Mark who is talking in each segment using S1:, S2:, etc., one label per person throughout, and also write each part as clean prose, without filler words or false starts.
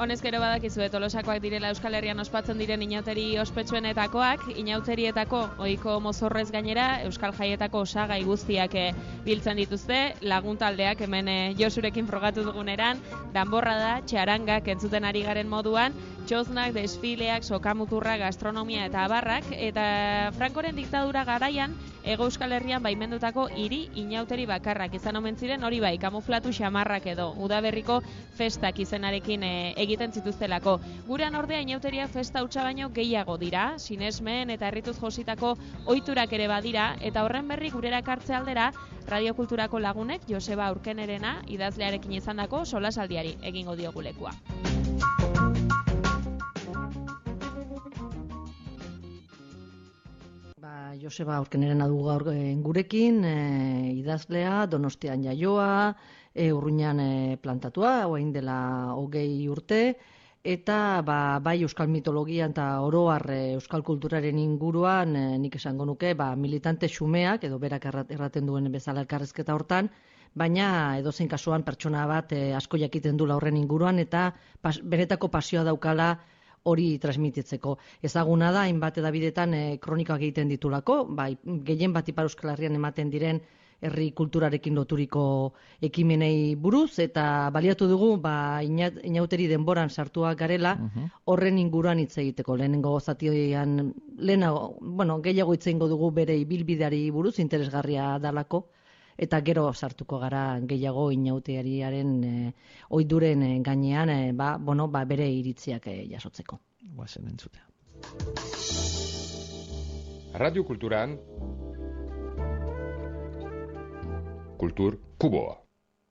S1: Honez gero badakizu Tolosakoak direla Euskal Herrian ospatzen diren inauteri ospetsuenetakoak, inauterietako ohiko mozorrez gainera Euskal Jaietako osagai guztiak biltzen dituzte, laguntaldeak hemen Josurekin frogatu duguneran, danborra da, txarangak entzuten ari garen moduan, txoznak, desfileak, sokamuturra, gastronomia eta abarrak, eta Frankoren diktadura garaian, Hego Euskal Herrian baimendutako hiri inauteri bakarrak izan omen ziren, hori bai, kamuflatu xamarrak edo, udaberriko festak izenarekin egiten zituztelako. Gurean ordea inauteriak festa hutsa baino gehiago dira, sinesmen eta herrituz jositako ohiturak ere badira, eta horren berri gurera kartze aldera, Radiokulturako lagunek Joseba Aurkenerena idazlearekin izandako solasaldiari egingo diogu lekua.
S2: Joseba Aurkenerena dugu gaur gurekin, idazlea, Donostian jaioa, Urruñan plantatua, orain dela 20 urte, eta bai euskal mitologian eta oro har euskal kulturaren inguruan nik esango nuke militante xumeak, edo berak erraten duen bezala elkarrizketa hortan, baina edozein kasuan pertsona bat asko jakiten dula horren inguruan, eta benetako pasioa daukala hori transmititzeko. Ezaguna da, hainbat edabidetan kronikak egiten ditulako, gehien bat Ipar Euskal Herrian ematen diren herri kulturarekin loturiko ekimenei buruz, eta baliatu dugu, inauteri denboran sartuak garela, horren inguruan hitz egiteko. Lehenengo zatian, gehiago hitz egingo dugu bere ibilbideari buruz, interesgarria dalako, eta gero sartuko gara gehiago inauteriaren ohiduren gainean, bere iritziak jasotzeko.
S3: Guazen entzutea.
S4: Radio Kulturan Kultur Kuboa.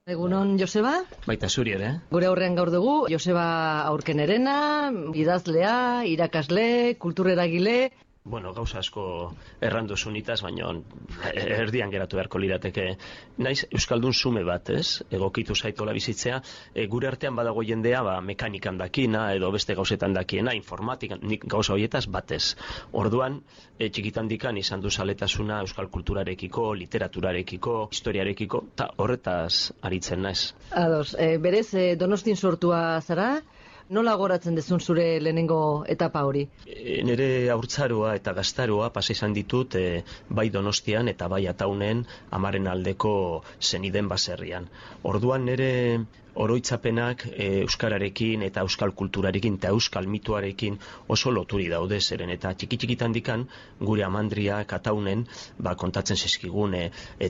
S2: Egunon, Joseba?
S3: Baita zuri ere.
S2: Gure aurrean gaur dugu, Joseba Aurkenerena, idazlea, irakasle, kultureragile.
S3: Gauza asko errandu zunitaz, baina erdian geratu beharko lirateke. Naiz, Euskaldun zume bat, ez? Egokitu zaitola bizitzea. Gure artean badago jendea, mekanikan dakina, edo beste gauzetan dakiena, informatikan, nik gauza horietaz batez. Orduan, txikitan dikan izan du zaletasuna euskal kulturarekiko, literaturarekiko, historiarekiko, eta horretaz aritzen naiz.
S2: Ados, berez, Donostin sortua zara? Nola goratzen dezun zure lehenengo etapa hori?
S3: Nire haurtzaroa eta gaztaroa pasa izan ditut bai Donostian eta bai Ataunen amaren aldeko zeniden baserrian. Orduan nire oroitzapenak euskararekin eta euskal kulturarekin eta euskal mituarekin oso loturi daude zeren, eta txiki-txikitan dikan gure amandriak Ataunen kontatzen zizkigun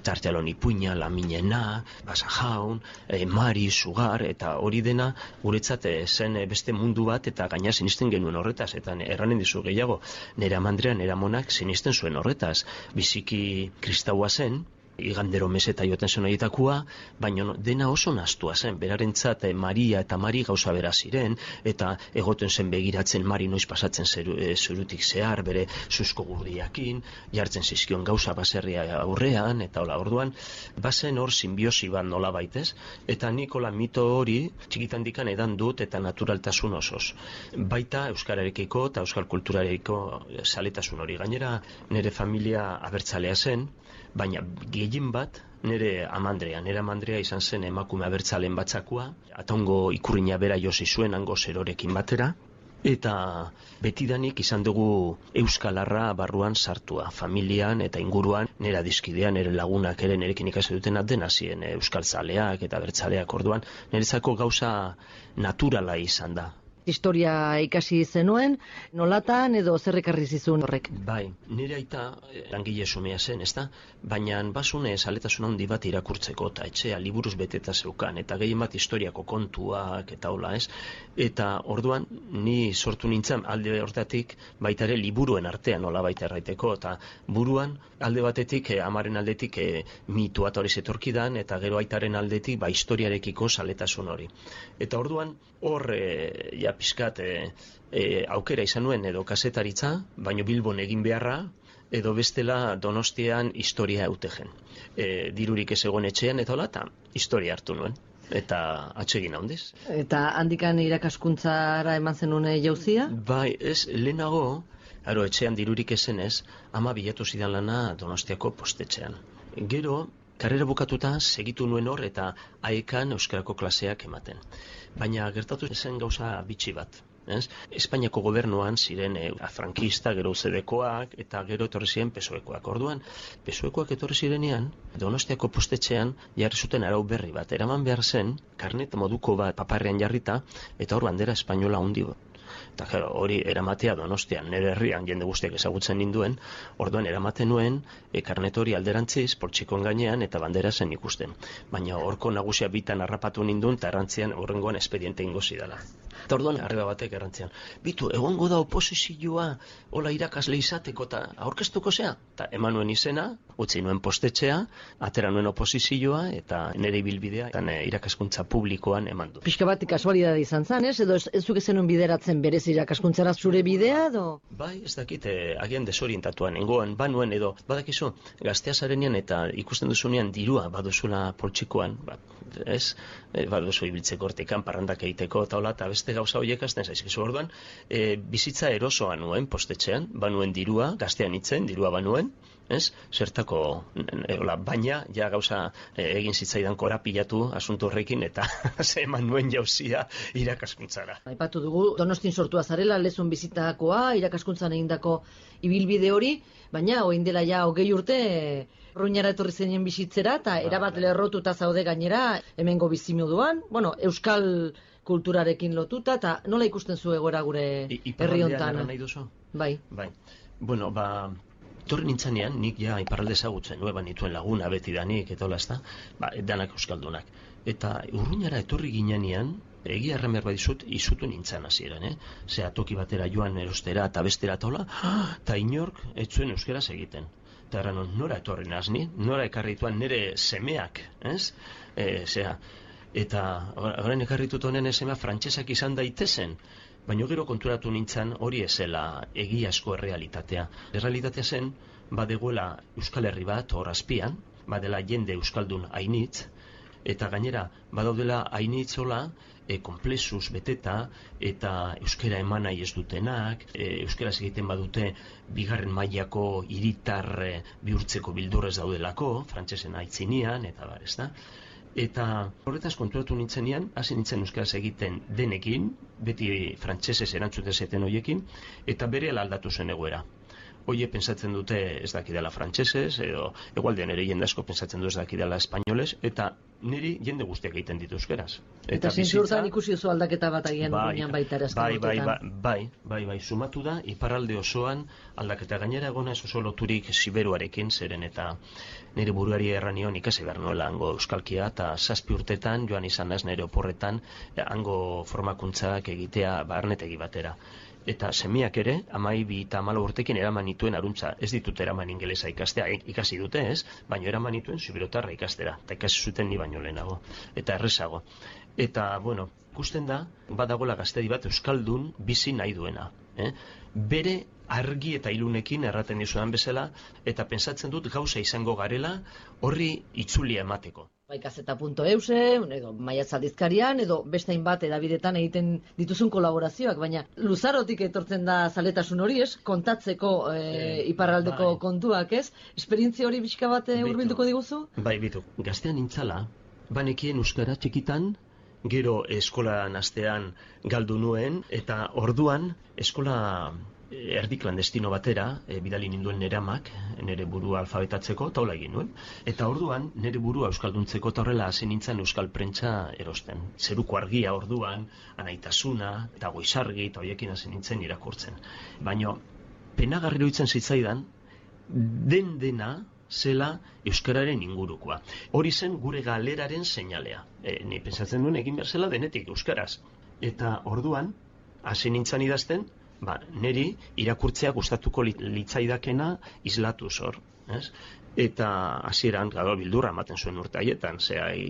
S3: Tartealon Ipuina, Laminena, Basajaun, Mari, Sugar, eta hori dena guretzat zen beste mundu bat, eta gaina sinisten genuen horretaz, eta erranen dizu gehiago, nire amandrea, nire amonak sinisten zuen horretaz, biziki kristaua zen, igandero meseta joten zen horietakoa, baina dena oso nastua zen, berarentzat Maria eta Mari gauza bera ziren, eta egoten zen begiratzen Mari noiz pasatzen zurutik zehar, bere zuzko gurdiakin, jartzen zizkion gauza baserria aurrean, eta hola, orduan, bazen hor simbiosi bat nola baitez, eta nikola mito hori txikitan dikan edan dut eta naturaltasun osoz. Baita euskararekiko eta euskal kulturarekiko zaletasun hori. Gainera, nire familia abertzalea zen, baina gehien bat nire amandrea izan zen emakume abertzalen batzakua, Ataungo ikurrina bera josi zuen hango zerorekin batera, eta betidanik izan dugu euskalarra barruan sartua, familian eta inguruan, nire adizkidean, nire lagunak ere nirekin ikasi dutena dena ziren euskal zaleak eta abertzaleak, orduan niretzako gauza naturala izan da.
S2: Historia ikasi zenuen, nolatan edo zer ekarri zizun horrek?
S3: Bai, nire aita langile xumea zen, ezta? Baina basune zaletasun handi bat irakurtzeko, eta etxea liburuz beteta zeukan, eta gehien bat historiako kontuak eta hola, ez? Eta orduan, ni sortu nintzen alde hortatik baita ere liburuen artean nola baita erraiteko, eta buruan alde batetik, amaren aldetik mitua eta hori zetorkidan, eta gero aitaren aldetik historiarekiko zaletasun hori. Eta orduan, hor pizkat aukera izan nuen edo kasetaritza, baino Bilbon egin beharra, edo bestela Donostian historia eutegen. Dirurik ez egon etxean eta hola, eta historia hartu nuen. eta atsegin handiz.
S2: Eta handikan irakaskuntzara eman zenuen jauzia?
S3: Bai, ez, lehenago, etxean dirurik ezenez, ama bilatu zidan lana Donostiako postetxean. Gero, karrera bukatuta segitu nuen hor eta aekan euskarako klaseak ematen. Baina gertatu zen gauza bitxi bat. Espainiako gobernuan ziren frankista, gero UCD-koak eta gero etorri ziren PSOE-koak. Orduan, PSOE-koak etorri zirenean, Donostiako postetxean jarri zuten arau berri bat. Eraman behar zen, karnet moduko bat paparrean jarrita, eta hor bandera espainola handi bat. Eta hori eramatea Donostian, nire herrian jende guztiak ezagutzen ninduen, orduan eramaten nuen, karnet hori alderantziz, poltsikoen gainean eta bandera zen ikusten. Baina horko nagusia bitan harrapatu ninduen, eta errantzian horrengoan espediente ingo zidala. Eta orduan arreba batek errantzian, bitu, egongo da oposizioa, hola irakasle izateko eta aurkeztuko zea? Eta eman nuen izena, utzi nuen postetxea, atera nuen oposizioa, eta nire ibilbidea irakaskuntza publikoan eman du.
S2: Pixka bat kasualidade izan zan, ez? Edo ez zuk zenuen bideratzen berez irakaskuntzara zure bidea, edo?
S3: Bai, ez dakit, agian desorientatuan, nengoen, banuen edo, badakizu, gaztea zarenean eta ikusten duzunean dirua baduzula poltsikoan, ez? Baduzu ibiltzeko hortikan, parrandak egiteko, eta beste gauza horiek azten zaizkizu orduan, bizitza erosoa nuen postetxean, banuen dirua, gaztean itzen, dirua banuen, ez? Zertako, baina, ja gauza egin zitzaidan korapilatu asunto horrekin, eta eman nuen jauzia irakaskuntzara.
S2: Aipatu dugu, Donostin sortua zarela, lezun bizitakoa, irakaskuntzan egindako ibilbide hori, baina, orain dela ja 20 urte, Ruñara etorri zenien bizitzera, eta erabat lerrotuta zaude gainera, hemengo bizimoduan, euskal kulturarekin lotuta, eta nola ikusten zu egoera gure herri hontan?
S3: Nahi duzu?
S2: Bai.
S3: Bueno, torri nintzanean, nik ja iparralde ezagutzen, nituen laguna beti danik, eta hola ez da, danak euskaldunak. Eta Urruñara etorri ginean, egia erramer badizut, izutu nintzen hasieran, Zea toki batera joan erostera eta bestera eta hola, eta inork etzuen euskeraz egiten. Eta erran, nora etorri nazni, nora ekarrituan nire semeak, ez? Eta orain ekarritut honen semea frantsesak izan daitezen, baina gero konturatu nintzen hori ezela egiazko errealitatea. Errealitatea zen, badegoela Euskal Herri bat hor azpian, badela jende euskaldun ainitz, eta gainera badaudela ainitzola konplexuz beteta eta euskera eman nahi ez dutenak, euskaraz egiten badute bigarren mailako hiritar bihurtzeko bildurrez daudelako, frantsesen aitzinean, eta ez da. Eta horretaz konturatu nintzenean, hasi nintzen euskaraz egiten denekin, beti frantsesez erantzuten zeten horiekin, eta berehala aldatu zen egoera. Oie pentsatzen dute ez dakidala frantsesez, edo egualdean ere jende asko pentsatzen du ez dakidala espainolez, eta niri jende guztiak egiten ditu euskaraz.
S2: Eta zintzurtan ikusi oso aldaketa bat agian urruñan baita ere azken
S3: Bai, sumatu da, iparralde osoan aldaketa gainera egona ez oso loturik Siberuarekin, zeren eta nire buruari erranion ikasi behar nuela hango euskalkia, eta 7 urtetan joan izan naiz nire oporretan hango formakuntzak egitea barnetegi batera. Eta semiak ere, 12 eta 14 urtekin eraman nituen aruntza, ez ditut eraman ingelesa ikastea, ikasi dute ez, baina eraman nituen siberotarra ikastera, eta ikasi zuten ni baino lehenago, eta errezago. Eta, ikusten da, badagoela gaztedi bat euskaldun bizi nahi duena. Bere argi eta ilunekin erraten dizudan bezala, eta pentsatzen dut gauza izango garela horri itzulia emateko.
S2: Bai, gazeta.euse, edo Maiatz aldizkarian, edo beste hainbat edabidetan egiten dituzun kolaborazioak, baina luzarotik etortzen da zaletasun hori, ez? Kontatzeko iparraldeko kontuak, ez? Esperientzia hori bizka bat hurbilduko diguzu?
S3: Bai, bitu, gaztean nintzala, banekien euskara txikitan, gero eskolan astean galdu nuen, eta orduan eskola erdi klandestino batera, bidali ninduen nire amak, nire burua alfabetatzeko, eta hola egin nuen. Eta orduan, nire burua euskalduntzeko, eta horrela hasi nintzen euskal prentsa erosten. Zeruko argia orduan, Anaitasuna, eta Goizargi, eta horiekin hasi nintzen irakurtzen. Baina, penagarri iruditzen zitzaidan, dena zela euskararen ingurukoa. Hori zen gure galeraren seinalea. Ni pentsatzen duen egin behar zela denetik euskaraz. Eta orduan, hasi nintzen idazten, niri irakurtzea gustatuko litzaidakena islatuz hor. Eta hasieran bildurra ematen zuen urte haietan,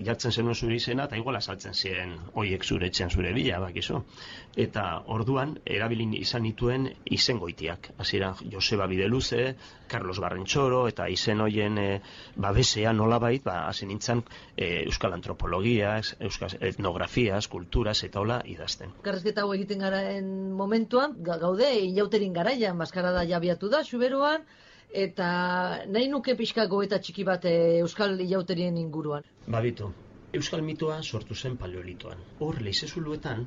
S3: jartzen zenuen zure izena eta igual azaltzen ziren hoiek zure etxean zure bila, bakizu. Eta orduan erabilin izan nituen izen goitiak. Hasieran Joseba Bideluze, Carlos Barrentzoro eta izen hoien babesean nolabait, hasi nintzen euskal antropologia, euskal etnografiaz, kulturaz eta hola idazten.
S2: Karrezketa hau egiten garen momentuan, gaude inauterin garaian, maskarada jabiatu da, Xuberoan, eta nahi nuke pixka goeta txiki bat euskal ilauterien inguruan.
S3: Babitu, euskal mitoa sortu zen paleolitoan. Hor, leizezuluetan,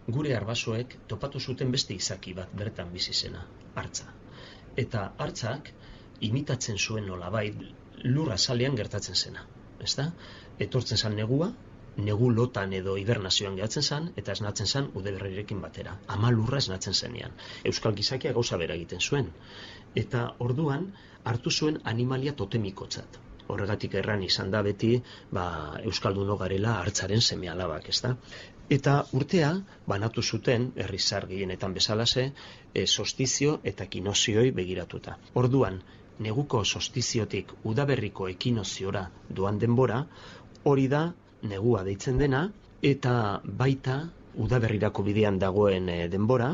S3: gure arbasoek topatu zuten beste izaki bat bertan bizi zena, hartza. Eta hartzak imitatzen zuen nolabait lurra salean gertatzen zena, ezta? Etortzen zen negua, negu lotan edo hibernazioan gehatzen zen, eta esnatzen zen udaberrirekin batera. Ama lurra esnatzen zenean. Euskal gizakia gauza bera egiten zuen. Eta orduan hartu zuen animalia totemikotzat. Horregatik erran izan da beti, euskaldunok garela hartzaren seme-alabak, ezta? Eta urtea banatu zuten, herrizar gehienetan bezalase, solstizio eta ekinozioi begiratuta. Orduan, neguko solstiziotik udaberriko ekinoziora doan denbora, hori da negua deitzen dena, eta baita udaberrirako bidean dagoen denbora,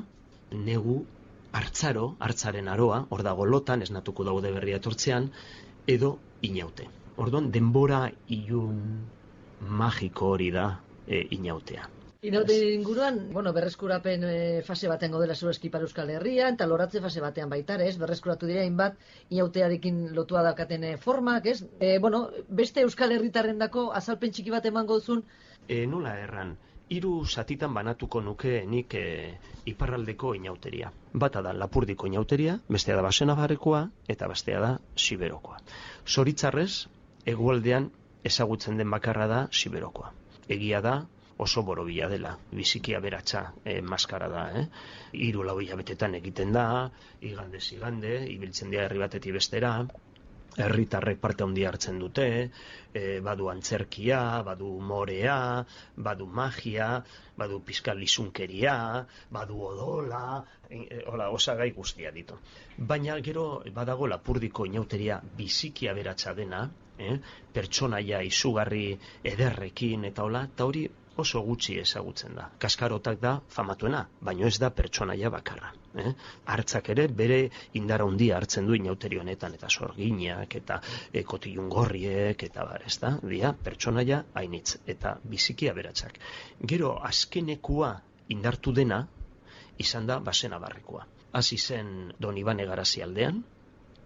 S3: negu hartzaren aroa, hor dago lotan, esnatuko da udaberria etortzean, edo inaute. Orduan, denbora ilun magiko hori da inautea.
S2: Inautearen inguruan, berreskurapen fase batean godela zurezki Ipar Euskal Herrian, eta loratze fase batean baita, ez? Berreskuratu dira hainbat inautearekin lotua daukaten formak, ez? Beste Euskal Herritarrendako azalpen txiki bat emango duzun?
S3: Nola erran, 3 zatitan banatuko nuke nik iparraldeko inauteria. Bata da Lapurdiko inauteria, bestea da Basenabarrekoa eta bestea da Siberokoa. Zoritzarrez, hegoaldean ezagutzen den bakarra da Siberokoa. Egia da, oso borobila dela, biziki aberatsa maskara da. 3-4 hilabetetan egiten da, igandez igande, ibiltzen dira herri batetik bestera, herritarrek parte handia hartzen dute, badu antzerkia, badu morea, badu magia, badu pizkal lizunkeria, badu odola, osagai guztia ditu. Baina gero badago Lapurdiko inauteria biziki aberatsa dena, pertsonaia izugarri ederrekin eta hori oso gutxi ezagutzen da. Kaskarotak da famatuena, baino ez da pertsonaia bakarra. Hartzak ere bere indar handia hartzen du inauteri honetan, eta sorginak, eta kotilungorriek, eta ez da, pertsonaia hainitz, eta biziki aberatsak. Gero azkenekua indartu dena, izan da Basenabarrekoa. Hasi zen Don Ibane Garazi aldean,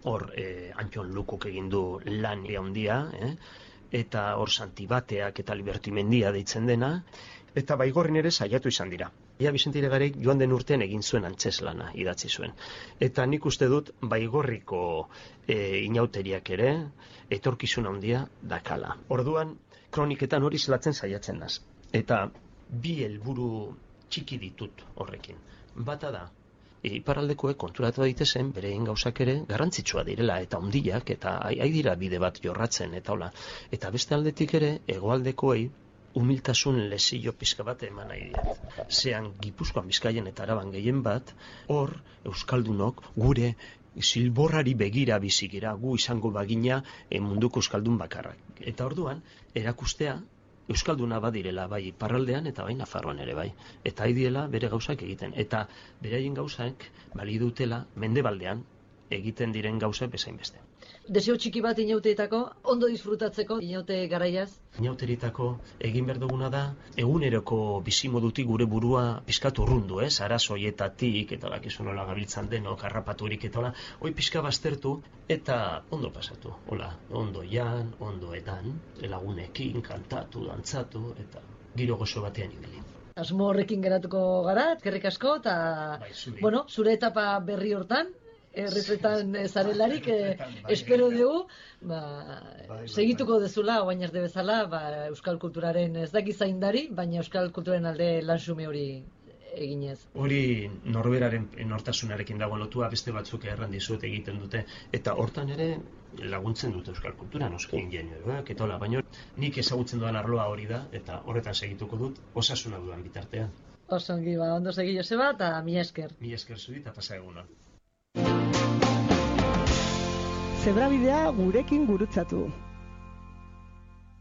S3: hor Antxon Lukuk egin du lan handia, eta hor Santibateak eta Libertimendia deitzen dena, eta Baigorrin ere saiatu izan dira. Ia Bizente Irigarik joan den urtean egin zuen antzeslana idatzi zuen. Eta nik uste dut Baigorriko inauteriak ere etorkizun handia dakala. Orduan, kroniketan hori zelatzen saiatzen naz. Eta 2 helburu txiki ditut horrekin. Bata da, iparraldekoek konturatu daitezen berein gauzak ere garrantzitsua direla eta handiak eta dira bide bat jorratzen eta hola. Eta beste aldetik ere hegoaldekoei humiltasun lesio pizka bat eman nahi diet. Zean Gipuzkoan, Bizkaian eta Araban gehien bat, hor euskaldunok gure zilborrari begira bizikera, gu izango bagina munduko euskaldun bakarrak. Eta orduan erakustea euskalduna badirela bai iparraldean eta bai Nafarroan ere bai. Eta diela bere gauzak egiten. Eta beraien gauzak bali dutela mendebaldean egiten diren gauzak bezain beste.
S2: Desio txiki bat inauteetako, ondo disfrutatzeko inaute garaiaz?
S3: Inauteritako egin behar duguna da, eguneroko bizimodutik gure burua pizkat urrundu, arazoietatik, eta bakizu nola gabiltzan denok, harrapaturik eta hola, hoi pizka baztertu eta ondo pasatu. Hola, ondo jan, ondo edan, lagunekin, kantatu, dantzatu, eta giro gozo batean ibili.
S2: Asmo horrekin geratuko gara, eskerrik asko, eta zure etapa berri hortan, errezetan zarelarik, espero dugu, segituko dezula, oain ez bezala, euskal kulturaren ez daki zaindari, baina euskal kulturaren alde lansume hori eginez.
S3: Hori norberaren nortasunarekin dago lotua, beste batzuk errandizuet egiten dute, eta hortan ere laguntzen dute euskal kultura, noski ingenueroak, eta hola, baina nik ezagutzen duan arloa hori da, eta horretan segituko dut, osasuna dudan bitartean.
S2: Osongi, ondo segi Joseba, eta mila esker.
S3: Mila esker zuri, eta pasa eguna.
S5: Zebrabidea gurekin gurutzatu.